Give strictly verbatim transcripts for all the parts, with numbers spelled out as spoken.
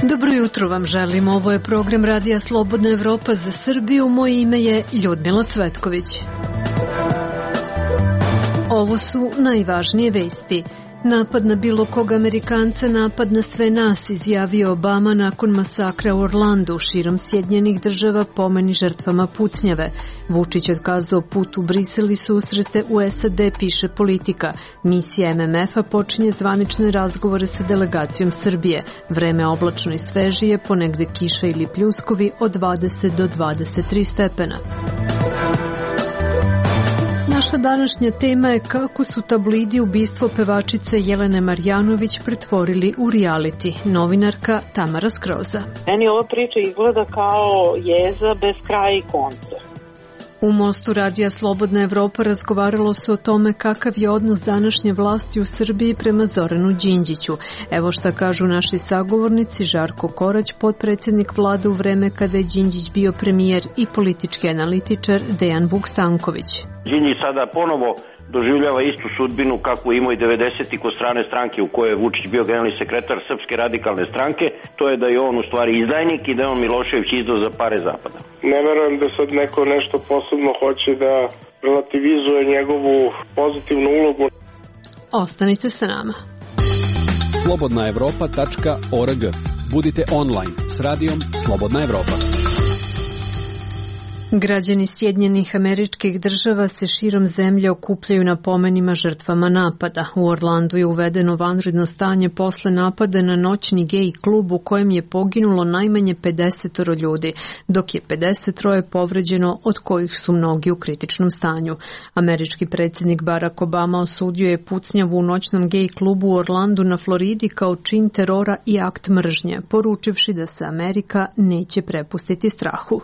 Dobro jutro vam želim. Ovo je program Radija Slobodna Evropa za Srbiju. Moje ime je Ljudmila Cvetković. Ovo su najvažnije vesti. Napad na bilo kog Amerikanca, napad na sve nas, izjavio Obama nakon masakra u Orlandu. Širom Sjedinjenih država pomeni žrtvama pucnjave. Vučić otkazao put u Brisel i susrete u S A D, piše Politika. Misija M M F-a počinje zvanične razgovore sa delegacijom Srbije. Vreme oblačno i svežije, ponegde kiša ili pljuskovi od dvadeset do dvadeset tri stepena. Naša današnja tema je kako su tabloidi ubistvo pevačice Jelene Marjanović pretvorili u reality. Novinarka Tamara Skroza. Meni ova priča izgleda kao jeza bez kraja i konca. U Mostu Radija Slobodna Evropa razgovaralo se o tome kakav je odnos današnje vlasti u Srbiji prema Zoranu Đinđiću. Evo šta kažu naši sagovornici: Žarko Korać, potpredsjednik vlade u vreme kada je Đinđić bio premijer, i politički analitičar Dejan Vuk Stanković. Đinđić sada ponovo doživljava istu sudbinu kakvu imao i devedesetih kod strane stranke u kojoj je Vučić bio generalni sekretar Srpske radikalne stranke. To je da je on u stvari izdajnik i da je on Milošević izdao za pare Zapada. Ne verujem da sad neko nešto posebno hoće da relativizuje njegovu pozitivnu ulogu. Ostanite sa nama. slobodna evropa tačka org. Budite online s radijom Slobodna Evropa. Građani Sjedinjenih Američkih Država se širom zemlje okupljaju na pomenima žrtvama napada. U Orlandu je uvedeno vanredno stanje posle napada na noćni gej klub u kojem je poginulo najmanje pedeset ljudi, dok je pedeset troje povređeno, od kojih su mnogi u kritičnom stanju. Američki predsjednik Barack Obama osudio je pucnjavu u noćnom gej klubu u Orlandu na Floridi kao čin terora i akt mržnje, poručivši da se Amerika neće prepustiti strahu.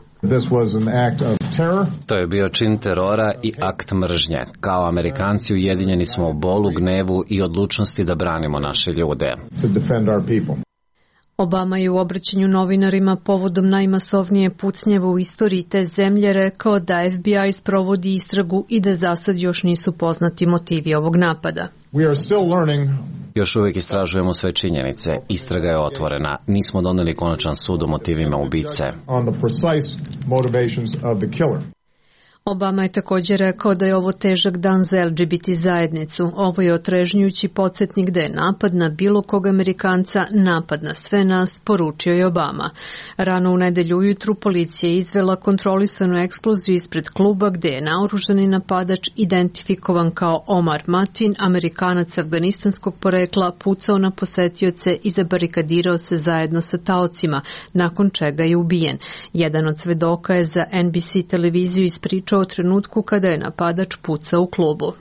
To je bio čin terora i akt mržnje. Kao Amerikanci ujedinjeni smo u bolu, gnevu i odlučnosti da branimo naše ljude. Obama je u obraćanju novinarima povodom najmasovnije pucnjave u istoriji te zemlje rekao da F B I sprovodi istragu i da za sad još nisu poznati motivi ovog napada. Još uvijek istražujemo sve činjenice. Istraga je otvorena. Nismo doneli konačan sud o motivima ubice. Obama je također rekao da je ovo težak dan za L G B T zajednicu. Ovo je otrežnjujući podsjetnik da je napad na bilo kog Amerikanca napad na sve nas, poručio je Obama. Rano u nedelju ujutru policija je izvela kontrolisanu eksploziju ispred kluba gde je naoružani napadač, identifikovan kao Omar Matin, Amerikanac afganistanskog porekla, pucao na posetioce i zabarikadirao se zajedno sa taocima, nakon čega je ubijen. Jedan od svedoka je za N B C televiziju ispričao o trenutku kada je napadač pucao u klubu.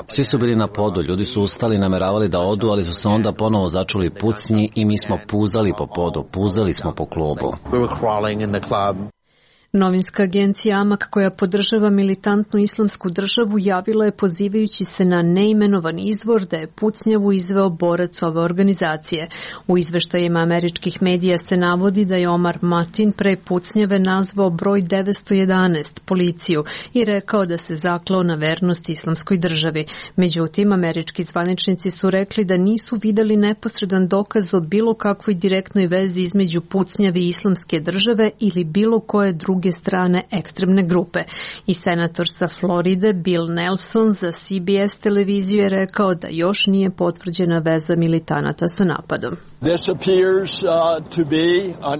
Svi su bili na podu, ljudi su ustali, nameravali da odu, ali su se onda ponovo začuli pucnji i mi smo puzali po podu, puzali smo po klubu. Novinska agencija Amak, koja podržava militantnu islamsku državu, javila je pozivajući se na neimenovan izvor da je pucnjavu izveo borac ove organizacije. U izveštajima američkih medija se navodi da je Omar Matin pre pucnjave nazvao broj devetsto jedanaest, policiju, i rekao da se zaklao na vernost islamskoj državi. Međutim, američki zvaničnici su rekli da nisu videli neposredan dokaz o bilo kakvoj direktnoj vezi između pucnjave i islamske države ili bilo koje druge strane ekstremne grupe. I senator sa Floride Bill Nelson za C B S televiziju je rekao da još nije potvrđena veza militanata sa napadom.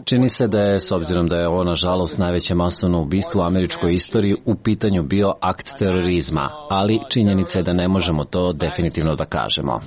Čini se da je, s obzirom da je ovo nažalost najveće masovno ubistvo u američkoj istoriji, u pitanju bio akt terorizma, ali činjenica je da ne možemo to definitivno da kažemo.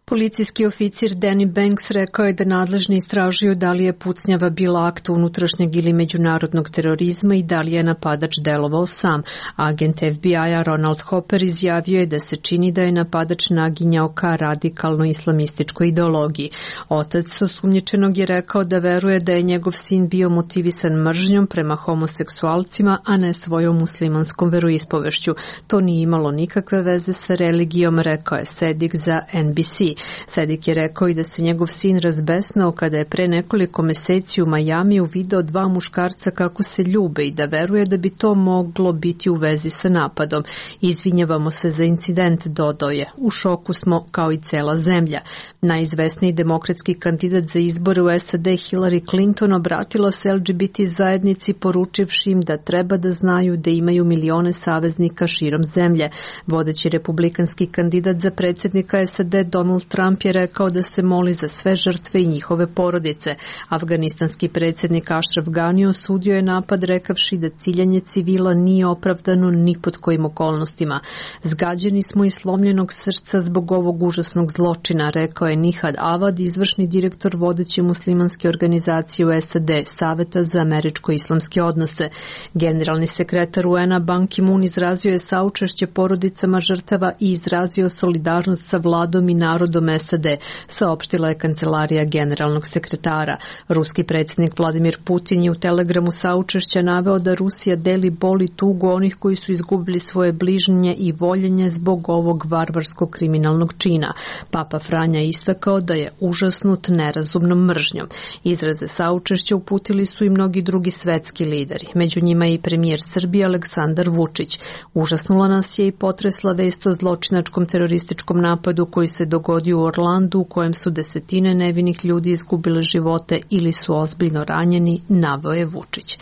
Policijski oficir Danny Banks rekao je da nadležni istražuju da li je pucnjava bila akt unutrašnjeg ili međunarodnog terorizma i da li je napadač delovao sam. Agent F B I-a Ronald Hopper izjavio je da se čini da je napadač naginjao ka radikalno-islamističkoj ideologiji. Otac osumnjičenog je rekao da veruje da je njegov sin bio motivisan mržnjom prema homoseksualcima, a ne svojom muslimanskom veroispovešću. To nije imalo nikakve veze sa religijom, rekao je Sedik za N B C. Sedik je rekao i da se njegov sin razbesnao kada je pre nekoliko meseci u Majamiju video dva muškarca kako se ljube i da veruje da bi to moglo biti u vezi sa napadom. Izvinjavamo se za incident, dodao je. U šoku smo kao i cela zemlja. Najizvesniji demokratski kandidat za izbore u S A D Hillary Clinton obratila se L G B T zajednici poručivši im da treba da znaju da imaju milione saveznika širom zemlje. Vodeći republikanski kandidat za predsjednika S A D Donald Trump je rekao da se moli za sve žrtve i njihove porodice. Afganistanski predsjednik Ashraf Ghani osudio je napad rekavši da ciljanje civila nije opravdano ni pod kojim okolnostima. Zgađeni smo i slomljenog srca zbog ovog užasnog zločina, rekao je Nihad Avad, izvršni direktor vodeće muslimanske organizacije u S A D, Saveta za američko-islamske odnose. Generalni sekretar U N-a Ban Ki-moon izrazio je saučešće porodicama žrtava i izrazio solidarnost sa vladom i narodom S A D, saopštila je kancelarija generalnog sekretara. Ruski predsjednik Vladimir Putin je u telegramu saučešća naveo da Rusija deli bol i tugu onih koji su izgubili svoje bližnje i voljenje zbog ovog varvarskog kriminalnog čina. Papa Franja istakao da je užasnut nerazumnom mržnjom. Izraze saučešća uputili su i mnogi drugi svetski lideri, među njima i premijer Srbije Aleksandar Vučić. Užasnula nas je i potresla vest o zločinačkom terorističkom napadu koji se dogodio u Orlandu, u kojem su desetine nevinih ljudi izgubile živote ili su ozbiljno ranjeni, naveo je Vučić.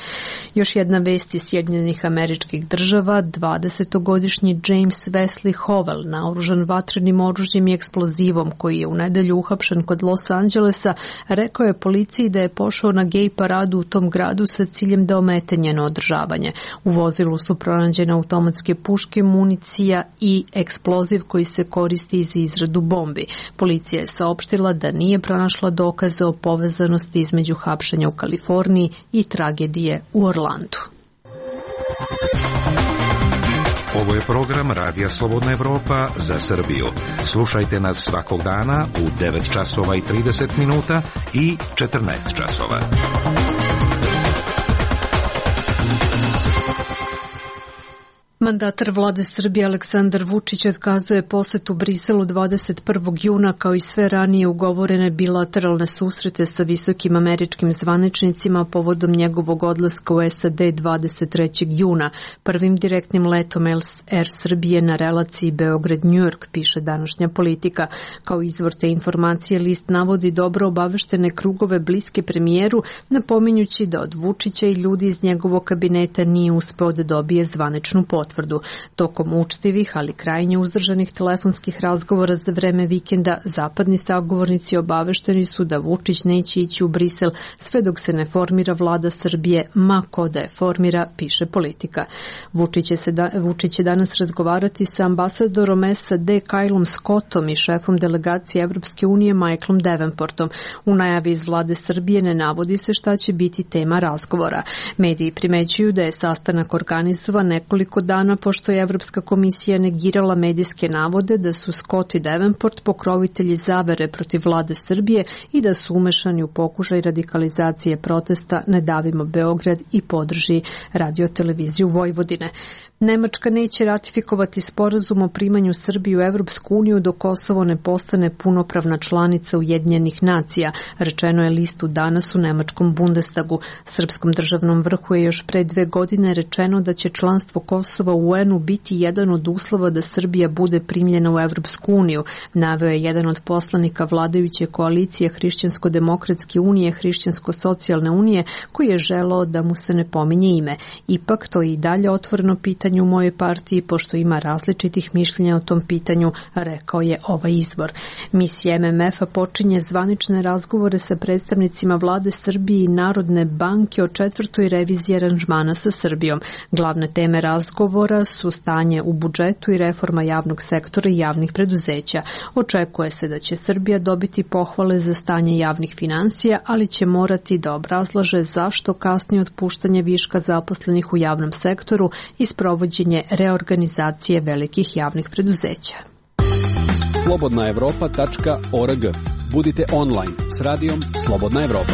Još jedna vest iz Sjedinjenih Američkih Država, dvadesetogodišnji James Wesley Howell, naoružan vatrenim oružjem i eksplozivom koji je u nedelju uhapšen kod Los Angelesa, rekao je policiji da je pošao na gej paradu u tom gradu sa ciljem da omete njeno održavanje. U vozilu su pronađene automatske puške, municija i eksploziv koji se koristi za izradu bombi. Policija je saopštila da nije pronašla dokaze o povezanosti između hapšenja u Kaliforniji i tragedije u Orlandu. Ovo je program Radija Slobodna Evropa za Srbiju. Slušajte nas svakog dana u devet časova i trideset minuta i četrnaest časova. Mandatar vlade Srbije Aleksandar Vučić otkazuje posetu Briselu dvadeset prvog juna kao i sve ranije ugovorene bilateralne susrete sa visokim američkim zvaničnicima povodom njegovog odlaska u S A D dvadeset trećeg juna. Prvim direktnim letom Air Srbije na relaciji Beograd-New York, piše današnja Politika. Kao izvor te informacije list navodi dobro obaveštene krugove bliske premijeru, napominjući da od Vučića i ljudi iz njegovog kabineta nije uspeo da dobije zvaničnu potvrdu. Tokom učtivih, ali krajnje uzdržanih telefonskih razgovora za vreme vikenda, zapadni sagovornici obavešteni su da Vučić neće ići u Brisel sve dok se ne formira vlada Srbije, ma ko da je formira, piše Politika. Vučić će, se da, Vučić će danas razgovarati sa ambasadorom S A D Kylom Scottom i šefom delegacije Evropske unije Michaelom Davenportom. U najavi iz vlade Srbije ne navodi se šta će biti tema razgovora. Mediji primećuju da je sastanak organizovan nekoliko dana pošto je Evropska komisija negirala medijske navode da su Scott i Davenport pokrovitelji zavere protiv vlade Srbije i da su umešani u pokušaj radikalizacije protesta Ne davimo Beograd i podrži radioteleviziju Vojvodine. Nemačka neće ratifikovati sporazum o primanju Srbije u Evropsku uniju dok Kosovo ne postane punopravna članica Ujedinjenih nacija, rečeno je listu danas u nemačkom Bundestagu. Srpskom državnom vrhu je još pre dve godine rečeno da će članstvo Kosova u U N-u biti jedan od uslova da Srbija bude primljena u Evropsku uniju, naveo je jedan od poslanika vladajuće koalicije Hrišćansko-demokratske unije, Hrišćansko-socijalne unije, koji je želeo da mu se ne pominje ime. Ipak to je i dalje otvoreno pitanje u mojoj partiji, pošto ima različitih mišljenja o tom pitanju, rekao je ovaj izvor. Misija M M F-a počinje zvanične razgovore sa predstavnicima vlade Srbije i Narodne banke o četvrtoj reviziji aranžmana sa Srbijom. Glavne teme razgovora su stanje u budžetu i reforma javnog sektora i javnih preduzeća. Očekuje se da će Srbija dobiti pohvale za stanje javnih finansija, ali će morati da obrazlaže zašto kasni otpuštanje viška zaposlenih u javnom sektoru i sprovođenje reorganizacije velikih javnih preduzeća. slobodna evropa tačka org. Budite online s radijom Slobodna Evropa.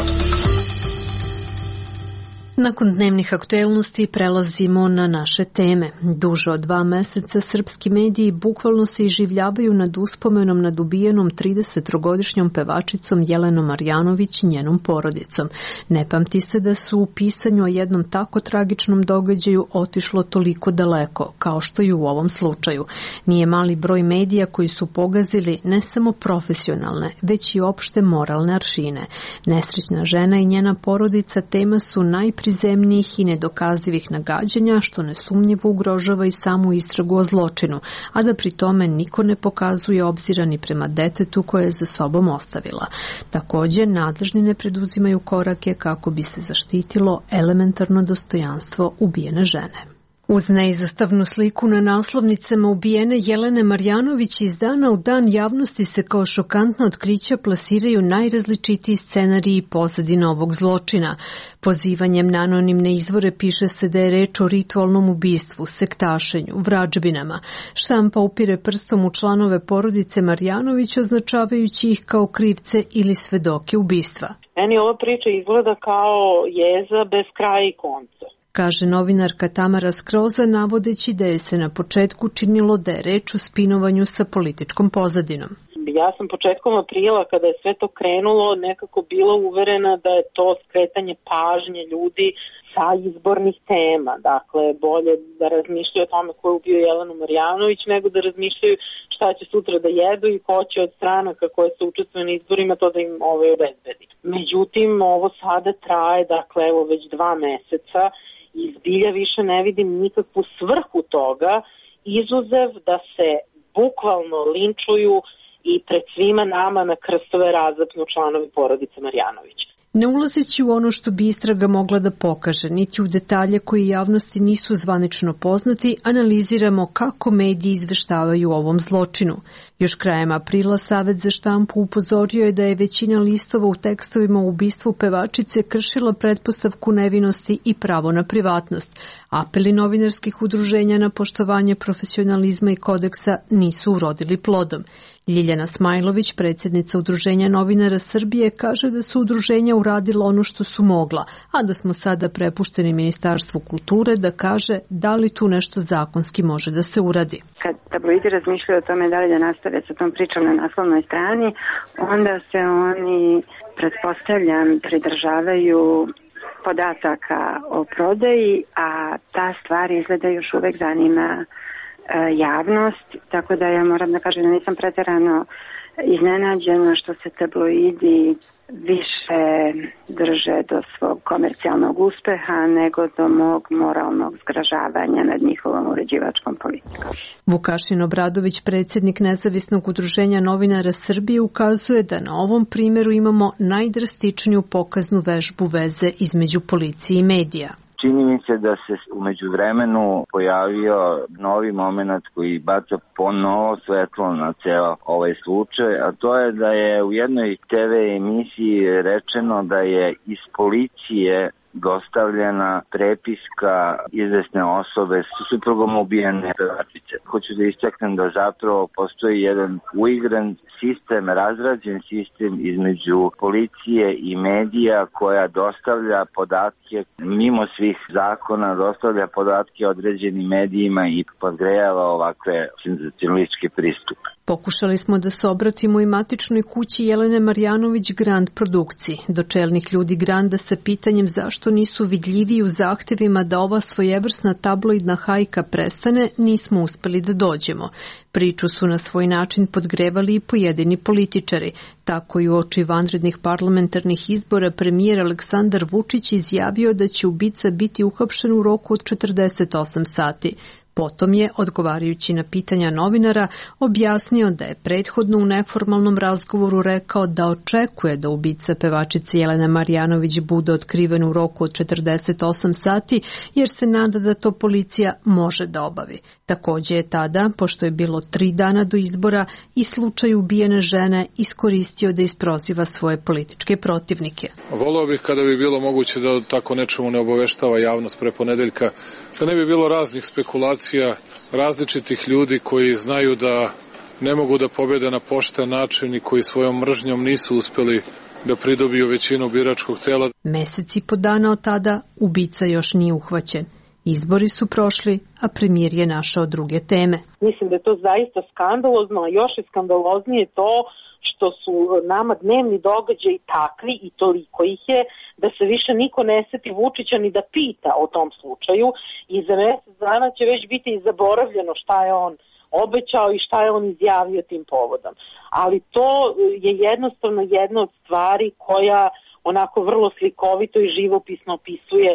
Nakon dnevnih aktuelnosti prelazimo na naše teme. Duže od dva meseca srpski mediji bukvalno se iživljavaju nad uspomenom nad ubijenom tridesettrogodišnjom pevačicom Jelenom Marjanović i njenom porodicom. Ne pamti se da su u pisanju o jednom tako tragičnom događaju otišlo toliko daleko, kao što i u ovom slučaju. Nije mali broj medija koji su pogazili ne samo profesionalne, već i opšte moralne aršine. Nesrećna žena i njena porodica tema su najprizemnijih i nedokazivih nagađanja, što nesumnjivo ugrožava i samu istragu o zločinu, a da pri tome niko ne pokazuje obzira ni prema detetu koje je za sobom ostavila. Također, nadležni ne preduzimaju korake kako bi se zaštitilo elementarno dostojanstvo ubijene žene. Uz neizostavnu sliku na naslovnicama ubijene Jelene Marjanović iz dana u dan javnosti se kao šokantna otkrića plasiraju najrazličitiji scenariji i pozadina ovog zločina. Pozivanjem na anonimne izvore piše se da je reč o ritualnom ubistvu, sektašenju, vrađbinama. Štampa upire prstom u članove porodice Marjanović, označavajući ih kao krivce ili svedoke ubistva. Meni ova priča izgleda kao jeza bez kraja i konca, kaže novinarka Tamara Skroza, navodeći da je se na početku činilo da je reč o spinovanju sa političkom pozadinom. Ja sam početkom aprila, kada je sve to krenulo, nekako bila uverena da je to skretanje pažnje ljudi sa izbornih tema. Dakle, bolje da razmišljaju o tome ko je ubio Jelenu Marjanović, nego da razmišljaju šta će sutra da jedu i ko će od stranaka koje se učestvuju na izborima to da im ovaj obezbedi. Međutim, ovo sada traje, dakle, evo već dva meseca, i zbilja više ne vidim nikakvu svrhu toga, izuzev da se bukvalno linčuju i pred svima nama na krstove razapnu članovi porodice Marjanović. Ne ulazeći u ono što bi istraga mogla da pokaže, niti u detalje koji javnosti nisu zvanično poznati, analiziramo kako mediji izveštavaju o ovom zločinu. Još krajem aprila Savet za štampu upozorio je da je većina listova u tekstovima o ubistvu pevačice kršila pretpostavku nevinosti i pravo na privatnost. Apeli novinarskih udruženja na poštovanje profesionalizma i kodeksa nisu urodili plodom. Ljiljana Smajlović, predsjednica Udruženja novinara Srbije, kaže da su udruženja uradila ono što su mogla, a da smo sada prepušteni Ministarstvu kulture da kaže da li tu nešto zakonski može da se uradi. Kad tabloidi razmišljaju o tome da li da nastave sa tom pričom na naslovnoj strani, onda se oni, pretpostavljam, pridržavaju podataka o prodaji, a ta stvar izgleda još uvek zanima javnost, tako da ja moram da kažem da nisam pretjerano iznenađena što se tabloidi više drže do svog komercijalnog uspeha nego do mog moralnog zgražavanja nad njihovom uređivačkom politikom. Vukašin Obradović, predsjednik Nezavisnog udruženja novinara Srbije, ukazuje da na ovom primjeru imamo najdrastičniju pokaznu vežbu veze između policije i medija. Čini mi se da se u međuvremenu pojavio novi moment koji baca ponovo svetlo na ceo ovaj slučaj, a to je da je u jednoj te ve emisiji rečeno da je iz policije dostavljena prepiska izvesne osobe su suprugom ubijene pevačice. Hoću da istaknem da zapravo postoji jedan uigran sistem, razrađen sistem između policije i medija koja dostavlja podatke mimo svih zakona, dostavlja podatke određenim medijima i podgrejava ovakve senzacionalističke pristupe. Pokušali smo da se obratimo i matičnoj kući Jelene Marjanović Grand produkciji. Do čelnih ljudi Granda sa pitanjem zašto nisu vidljiviji u zahtevima da ova svojevrsna tabloidna hajka prestane, nismo uspeli da dođemo. Priču su na svoj način podgrevali i pojedini političari. Tako i u oči vanrednih parlamentarnih izbora premijer Aleksandar Vučić izjavio da će ubica biti uhapšen u roku od četrdeset osam sati. Potom je, odgovarajući na pitanja novinara, objasnio da je prethodno u neformalnom razgovoru rekao da očekuje da ubica pevačice Jelene Marjanović bude otkriven u roku od četrdeset osam sati, jer se nada da to policija može da obavi. Također je tada, pošto je bilo tri dana do izbora, i slučaj ubijene žene iskoristio da isproziva svoje političke protivnike. Voleo bih kada bi bilo moguće da tako nečemu ne obaveštava javnost pre ponedeljka, da ne bi bilo raznih spekulacija, različitih ljudi koji znaju da ne mogu da pobede na pošten način i koji svojom mržnjom nisu uspeli da pridobiju većinu biračkog tela. Mesec i po dana od tada ubica još nije uhvaćen. Izbori su prošli, a premijer je našao druge teme. Mislim da je to zaista skandalozno, a još je skandaloznije to što su nama dnevni događaji takvi i toliko ih je da se više niko ne seti Vučića ni da pita o tom slučaju i za mesec dana će već biti i zaboravljeno šta je on obećao i šta je on izjavio tim povodom. Ali to je jednostavno jedna od stvari koja onako vrlo slikovito i živopisno opisuje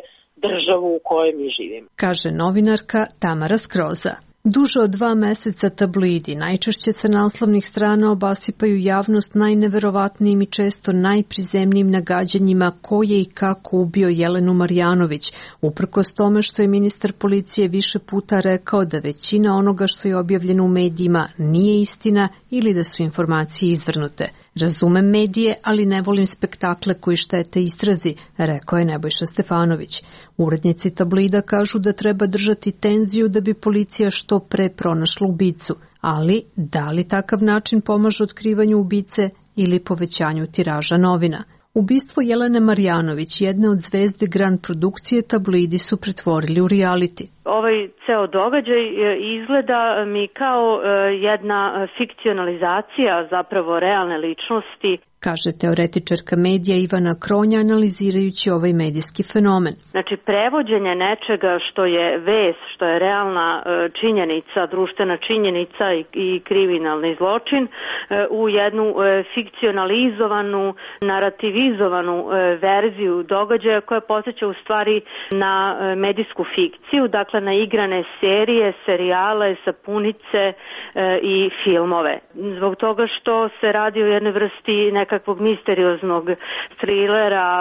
državu u kojoj mi živimo. Kaže novinarka Tamara Skroza. Duže od dva meseca tabloidi najčešće sa naslovnih strana obasipaju javnost najneverovatnijim i često najprizemnijim nagađanjima ko je i kako ubio Jelenu Marjanović, uprkos tome što je ministar policije više puta rekao da većina onoga što je objavljeno u medijima nije istina ili da su informacije izvrnute. Razumem medije, ali ne volim spektakle koji štete istrazi, rekao je Nebojša Stefanović. Urednici tabloida kažu da treba držati tenziju da bi policija što pre pronašla ubicu, ali da li takav način pomaže otkrivanju ubice ili povećanju tiraža novina? Ubistvo Jelene Marjanović, jedne od zvezde Grand produkcije, tabloidi su pretvorili u reality. Ovaj ceo događaj izgleda mi kao jedna fikcionalizacija zapravo realne ličnosti, kaže teoretičarka medija Ivana Kronja analizirajući ovaj medijski fenomen. Znači, prevođenje nečega što je vest, što je realna činjenica, društvena činjenica i, i kriminalni zločin u jednu fikcionalizovanu, narativizovanu verziju događaja koja podsjeća u stvari na medijsku fikciju, dakle na igrane serije, serijale, sapunice i filmove. Zbog toga što se radi o jednoj vrsti neka kakvog misterioznog trilera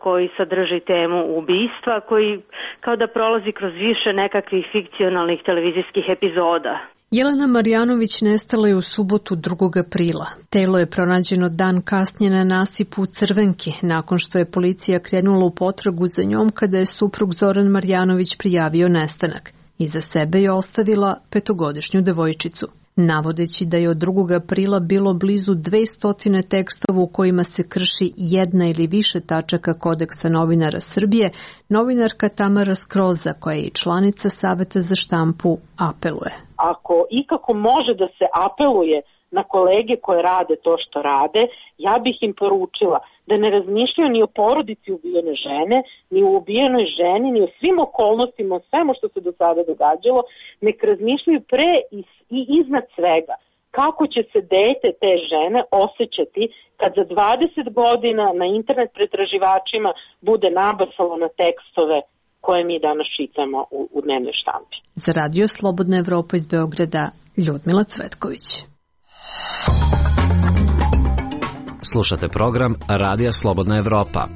koji sadrži temu ubistva, koji kao da prolazi kroz više nekakvih fikcionalnih televizijskih epizoda. Jelena Marjanović nestala je u subotu drugog aprila. Telo je pronađeno dan kasnije na nasipu u Crvenki, nakon što je policija krenula u potragu za njom kada je suprug Zoran Marjanović prijavio nestanak. Iza sebe je ostavila petogodišnju devojčicu. Navodeći da je od drugog aprila bilo blizu dvesta tekstova u kojima se krši jedna ili više tačaka Kodeksa novinara Srbije, novinarka Tamara Skroza, koja je i članica Saveta za štampu, apeluje. Ako ikako može da se apeluje na kolege koje rade to što rade, ja bih im poručila da ne razmišljaju ni o porodici ubijene žene, ni o ubijenoj ženi, ni o svim okolnostima, o svemu što se do sada događalo, nek razmišljaju pre i, i iznad svega kako će se dete te žene osjećati kad za dvadeset godina na internet pretraživačima bude nabasalo na tekstove koje mi danas čitamo u, u dnevnoj štampi. Za Radio Slobodna Evropa iz Beograda, Ljudmila Cvetković. Slušate program Radija Slobodna Evropa.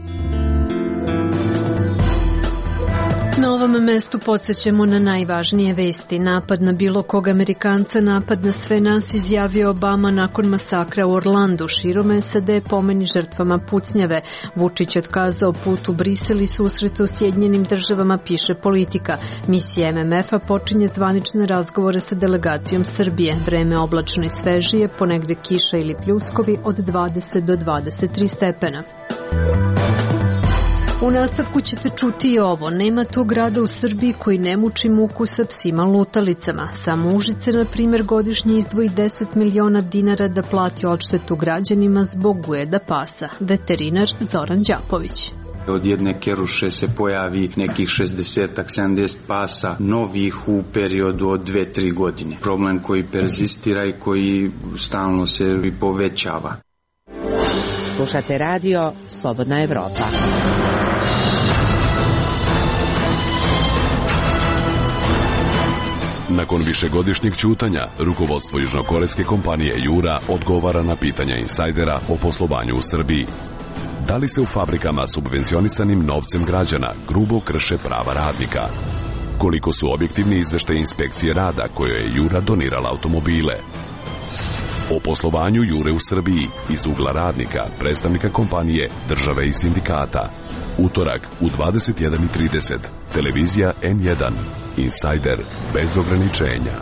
Na ovom mestu podsjećamo na najvažnije vesti. Napad na bilo kog Amerikanca, napad na sve nas, izjavio Obama nakon masakra u Orlandu. Širom S A D pomeni žrtvama pucnjave. Vučić otkazao put u Brisel i susrete u Sjedinjenim državama, piše Politika. Misija M M F-a počinje zvanične razgovore sa delegacijom Srbije. Vreme oblačno i svežije, ponegde kiša ili pljuskovi od dvadeset do dvadeset tri stepena. U nastavku ćete čuti i ovo. Nema tog grada u Srbiji koji ne muči muku sa psima lutalicama. Samo Užice, na primjer, godišnje izdvoji deset miliona dinara da plati odštetu građanima zbog ujeda pasa. Veterinar Zoran Đapović. Od jedne keruše se pojavi nekih šezdeset do sedamdeset pasa novih u periodu od dve do tri godine. Problem koji perzistira i koji stalno se povećava. Slušate radio Slobodna Evropa. Nakon višegodišnjeg ćutanja, rukovodstvo južnokorejske kompanije Jura odgovara na pitanja insajdera o poslovanju u Srbiji. Da li se u fabrikama subvencionisanim novcem građana grubo krše prava radnika? Koliko su objektivni izveštaji inspekcije rada kojoj je Jura donirala automobile? O poslovanju Jure u Srbiji iz ugla radnika, predstavnika kompanije, države i sindikata. Utorak u dvadeset jedan i trideset. Televizija N jedan. Insajder bez ograničenja.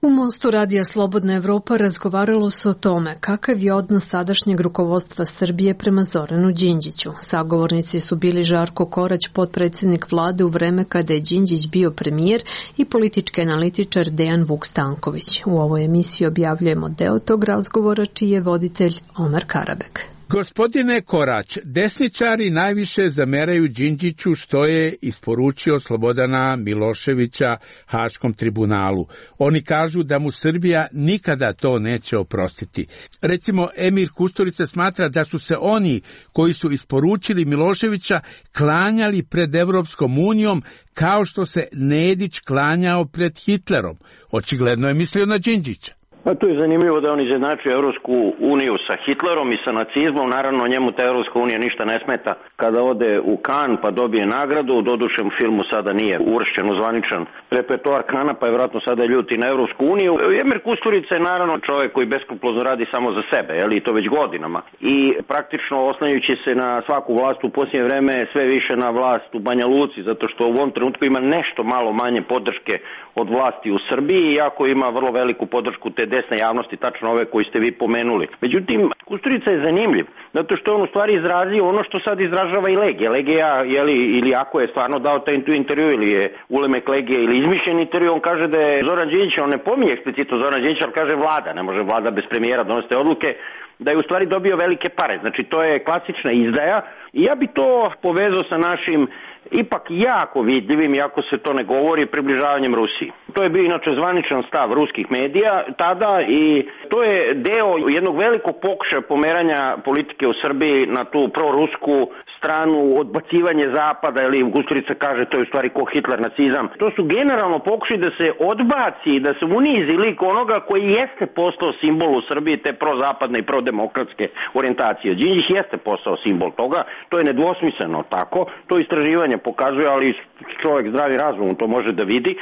U Mostu Radija Slobodna Evropa razgovaralo se o tome kakav je odnos sadašnjeg rukovodstva Srbije prema Zoranu Đinđiću. Sagovornici su bili Žarko Korać, potpredsjednik vlade u vreme kada je Đinđić bio premijer, i politički analitičar Dejan Vuk Stanković. U ovoj emisiji objavljujemo deo tog razgovora čiji je voditelj Omar Karabek. Gospodine Korać, desničari najviše zameraju Đinđiću što je isporučio Slobodana Miloševića Haškom tribunalu. Oni kažu da mu Srbija nikada to neće oprostiti. Recimo, Emir Kusturica smatra da su se oni koji su isporučili Miloševića klanjali pred Evropskom unijom kao što se Nedić klanjao pred Hitlerom. Očigledno je mislio na Đinđića. Pa tu je zanimljivo da on izjednačuje Evropsku uniju sa Hitlerom i sa nacizmom. Naravno, njemu ta Evropska unija ništa ne smeta kada ode u Kan pa dobije nagradu. Doduše u filmu sada nije uvršćen u zvaničan repertoar Kana, pa je vjerojatno sada ljuti na Evropsku uniju. Emir Kusturica je naravno čovjek koji beskrupulozno radi samo za sebe, jel, i to već godinama. I praktično oslanjajući se na svaku vlast u posljednje vreme, sve više na vlast u Banja Luci, zato što u ovom trenutku ima nešto malo manje podrške od vlasti u Srbiji, iako ima vrlo veliku podršku te desne javnosti, tačno ove koji ste vi pomenuli. Međutim, Kusturica je zanimljiv, zato što on u stvari izrazio ono što sad izražava i Legija. Legija, jeli, ili ako je stvarno dao taj intervju, ili je ulemek Legije, ili izmišljen intervju, on kaže da je Zoran Đinđić, on ne pominje eksplicitno Zoran Đinđić, ali kaže vlada, ne može vlada bez premijera donositi odluke, da je u stvari dobio velike pare. Znači, to je klasična izdaja i ja bi to povezao sa našim ipak jako vidljivim, iako se to ne govori, približavanjem Rusiji. To je bio inače zvaničan stav ruskih medija tada i to je deo jednog velikog pokušaja pomeranja politike u Srbiji na tu prorusku stranu, odbacivanje zapada, ili Kusturica kaže to je u stvari ko Hitler, nacizam. To su generalno pokušaj da se odbaci, da se unizi lik onoga koji jeste postao simbol u Srbiji te prozapadne i prodemokratske orijentacije. Đinđić jeste postao simbol toga, to je nedvosmisleno tako, to istraživanje pokazuje, ali čovjek zdravi razum to može da vidi.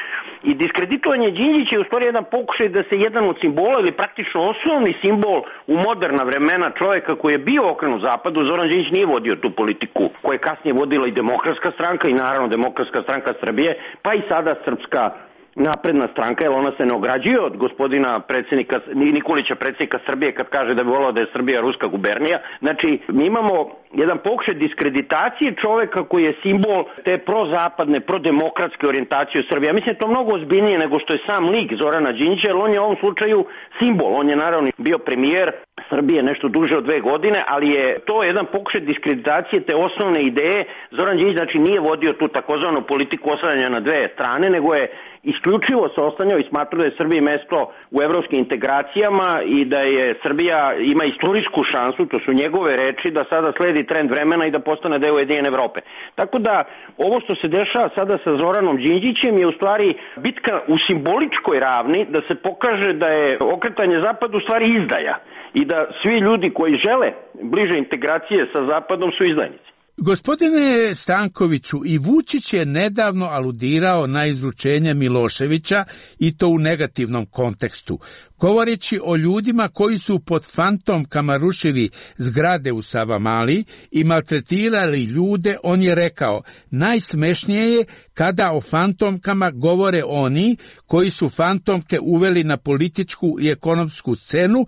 I diskreditovanje Đinđića je u stvari jedan pokušaj da se jedan od simbola ili praktično osnovni simbol u moderna vremena čovjeka koji je bio okrenut zapadu, Zoran Đinđić nije vodio tu politiku koju je kasnije vodila i Demokratska stranka i naravno Demokratska stranka Srbije, pa i sada Srpska napredna stranka, jer ona se ne ograđuje od gospodina predsjednika Nikolića, predsjednika Srbije, kad kaže da bi volao da je Srbija ruska gubernija. Znači, mi imamo jedan pokušaj diskreditacije čovjeka koji je simbol te prozapadne, prodemokratske orijentacije u Srbiji. Ja mislim da je to mnogo ozbiljnije nego što je sam lik Zorana Đinđića, jer on je u ovom slučaju simbol. On je naravno bio premijer Srbije nešto duže od dve godine, ali je to jedan pokušaj diskreditacije te osnovne ideje. Zoran Đinđić znači nije vodio tu takozvanu politiku oslanjanja na dve strane, nego je isključivo se oslanjao i smatrao da je Srbiji mesto u evropskim integracijama i da je Srbija ima istorijsku šansu, to su njegove reči, da sada sledi trend vremena i da postane deo Ujedinjene Evrope. Tako da ovo što se dešava sada sa Zoranom Đinđićem je u stvari bitka u simboličkoj ravni da se pokaže da je okretanje zapadu u stvari izdaja i da svi ljudi koji žele bliže integracije sa zapadom su izdajnici. Gospodine Stankoviću, i Vučić je nedavno aludirao na izručenje Miloševića i to u negativnom kontekstu. Govoreći o ljudima koji su pod fantomkama rušili zgrade u Savamali i maltretirali ljude, on je rekao: najsmešnije je kada o fantomkama govore oni koji su fantomke uveli na političku i ekonomsku scenu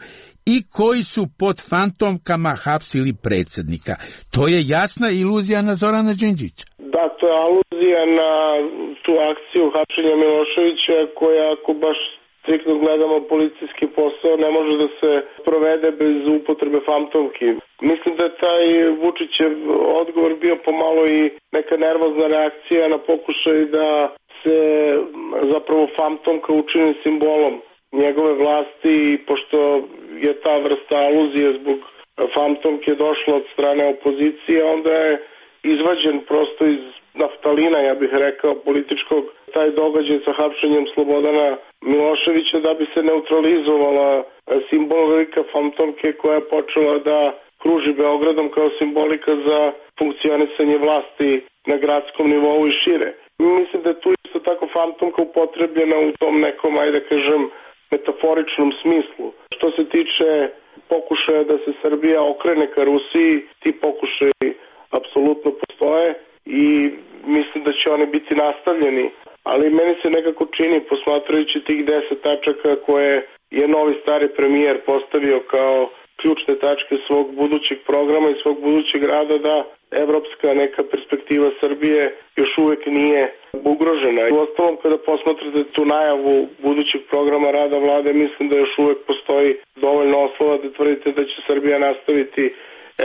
i koji su pod fantomkama hapsili predsjednika. To je jasna iluzija na Zorana Đinđića. Da, to je aluzija na tu akciju hapšenja Miloševića koja, ako baš striktno gledamo policijski posao, ne može da se provede bez upotrebe fantomki. Mislim da je taj Vučićev odgovor bio pomalo i neka nervozna reakcija na pokušaj da se zapravo fantomka učini simbolom njegove vlasti, i pošto je ta vrsta aluzije zbog fantomke došla od strane opozicije, onda je izvađen prosto iz naftalina, ja bih rekao, političkog, taj događaj sa hapšenjem Slobodana Miloševića, da bi se neutralizovala simbolika fantomke koja je počela da kruži Beogradom kao simbolika za funkcionisanje vlasti na gradskom nivou i šire. Mislim da je tu isto tako fantomka upotrebljena u tom nekom, ajde kažem, metaforičnom smislu. Što se tiče pokušaja da se Srbija okrene ka Rusiji, ti pokušaji apsolutno postoje i mislim da će oni biti nastavljeni. Ali meni se nekako čini, posmatrajući tih deset tačaka koje je novi stari premijer postavio kao ključne tačke svog budućeg programa i svog budućeg rada, da evropska neka perspektiva Srbije još uvek nije ugrožena. U ostalom, kada posmatrate tu najavu budućeg programa rada vlade, mislim da još uvek postoji dovoljno oslova da tvrdite da će Srbija nastaviti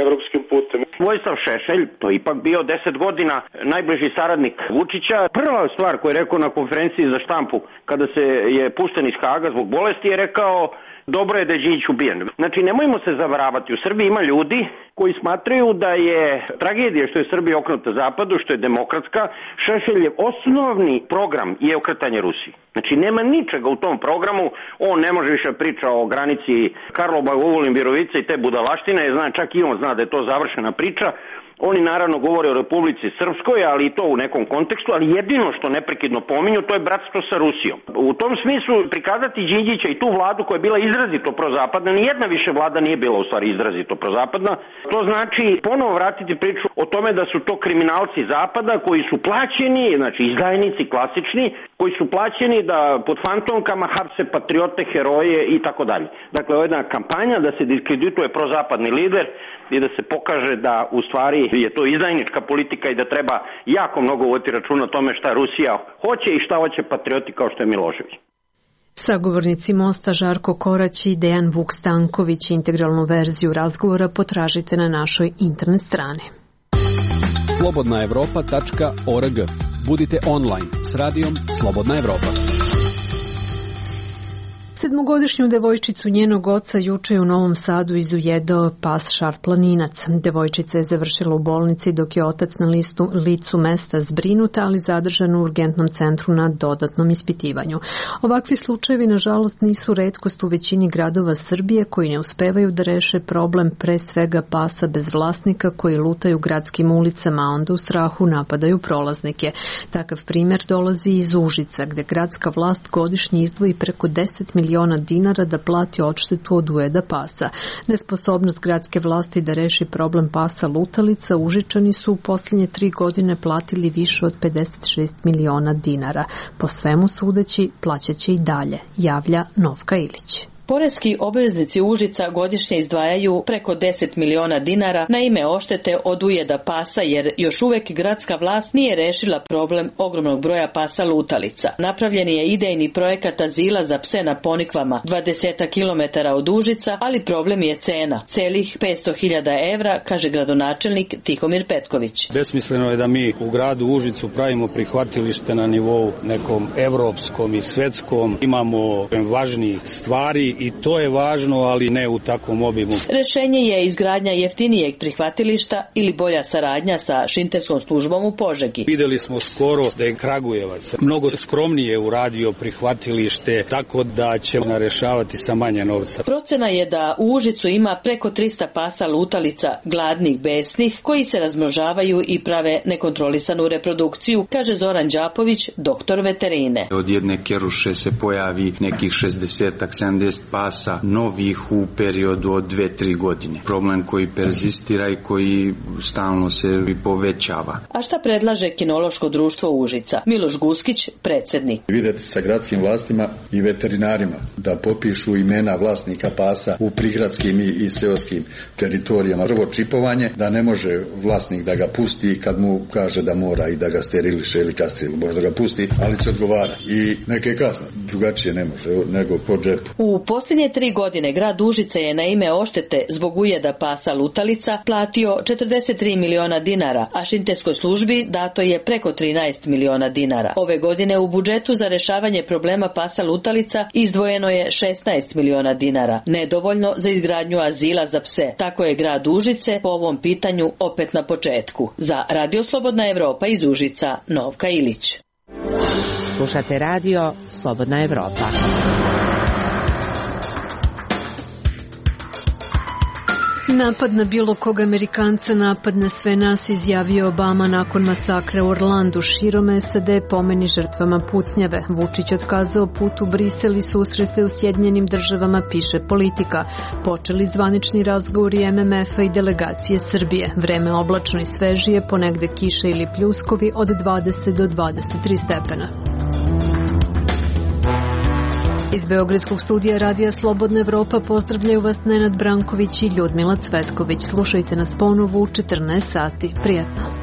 evropskim putem. Vojislav Šešelj, to je ipak bio deset godina najbliži saradnik Vučića. Prva stvar koju je rekao na konferenciji za štampu kada se je pušten iz Haga zbog bolesti je rekao: dobro je da je Đinđić ubijen. Znači, nemojmo se zavaravati. U Srbiji ima ljudi koji smatraju da je tragedija što je Srbija okrenuta zapadu, što je demokratska. Šešeljev osnovni program je okretanje Rusiji. Znači, nema ničega u tom programu. On ne može više priča o granici Karlobag-Ogulin, Virovica i te budalaštine. Zna, čak i on zna da je to završena priča. Oni naravno govore o Republici Srpskoj, ali i to u nekom kontekstu, ali jedino što neprekidno pominju, to je bratstvo sa Rusijom. U tom smislu prikazati Đinđića i tu vladu koja je bila izrazito prozapadna, nijedna više vlada nije bila u stvari izrazito prozapadna, to znači ponovo vratiti priču o tome da su to kriminalci zapada koji su plaćeni, znači izdajnici klasični, koji su plaćeni da pod fantomkama hapse patriote, heroje i tako dalje. Dakle, ovo je jedna kampanja da se diskredituje prozapadni lider i da se pokaže da u stvari je to izdajnička politika i da treba jako mnogo voditi računa o tome šta Rusija hoće i šta hoće patrioti kao što je Milošević. Sagovornici Mosta Žarko Korać i Dejan Vuk Stanković. Integralnu verziju razgovora potražite na našoj internet strani. slobodna evropa tačka org. Budite online s radijom Slobodna Evropa. Sedmogodišnju devojčicu njenog oca juče je u Novom Sadu izujedao pas šarplaninac. Devojčica je završila u bolnici dok je otac na listu, licu mesta zbrinuta, ali zadržan u urgentnom centru na dodatnom ispitivanju. Ovakvi slučajevi, nažalost, nisu retkost u većini gradova Srbije koji ne uspevaju da reše problem pre svega pasa bez vlasnika koji lutaju gradskim ulicama, a onda u strahu napadaju prolaznike. Takav primjer dolazi iz Užica, gde gradska vlast godišnje izdvoji preko deset miliona dinara da plati odštetu od ujeda pasa. Nesposobnost gradske vlasti da reši problem pasa lutalica, Užičani su u posljednje tri godine platili više od pedeset šest miliona dinara. Po svemu sudeći, plaćaće i dalje, javlja Novka Ilić. Poreski obveznici Užica godišnje izdvajaju preko deset miliona dinara na ime oštete od ujeda pasa, jer još uvek gradska vlast nije rešila problem ogromnog broja pasa lutalica. Napravljen je idejni projekat azila za pse na Ponikvama, dvadeset kilometara od Užica, ali problem je cena, celih petsto hiljada evra, kaže gradonačelnik Tihomir Petković. Besmisleno je da mi u gradu Užicu pravimo prihvatilište na nivou nekom evropskom i svetskom. Imamo važnijih stvari i to je važno, ali ne u takvom obimu. Rešenje je izgradnja jeftinijeg prihvatilišta ili bolja saradnja sa šinterskom službom u Požegi. Videli smo skoro da je Kragujevac mnogo skromnije uradio prihvatilište, tako da ćemo rešavati sa manje novca. Procena je da u Užicu ima preko trista pasa lutalica, gladnih, besnih, koji se razmnožavaju i prave nekontrolisanu reprodukciju, kaže Zoran Đapović, doktor veterine. Od jedne keruše se pojavi nekih šezdeset sedamdeset pasa novih u periodu od dve tri godine. Problem koji perzistira i koji stalno se povećava. A šta predlaže kinološko društvo Užica? Miloš Guskić, predsjednik. Videti sa gradskim vlastima i veterinarima da popišu imena vlasnika pasa u prigradskim i, i seoskim teritorijama. Prvo čipovanje, da ne može vlasnik da ga pusti kad mu kaže da mora i da ga steriliše ili kastrira. Možda ga pusti, ali se odgovara. I neke kazne. Drugačije ne može nego po džepu. U posljednje tri godine grad Užice je na ime oštete zbog ujeda pasa lutalica platio četrdeset tri miliona dinara, a šinterskoj službi dato je preko trinaest miliona dinara. Ove godine u budžetu za rešavanje problema pasa lutalica izdvojeno je šesnaest miliona dinara, nedovoljno za izgradnju azila za pse. Tako je grad Užice po ovom pitanju opet na početku. Za Radio Slobodna Evropa iz Užica, Novka Ilić. Slušate radio Slobodna Evropa. Napad na bilo kog Amerikanca, napad na sve nas, izjavio Obama nakon masakra u Orlandu. Širom S A D pomeni žrtvama pucnjave. Vučić otkazao put u Brisel i susrete u Sjedinjenim državama, piše Politika. Počeli zvanični razgovori M M F-a i delegacije Srbije. Vreme oblačno i svežije, ponegde kiše ili pljuskovi od dvadeset do dvadeset tri stepena. Iz Beogradskog studija Radija Slobodna Evropa pozdravljaju vas Nenad Branković i Ljudmila Cvetković. Slušajte nas ponovo u četrnaest sati. Prijatno.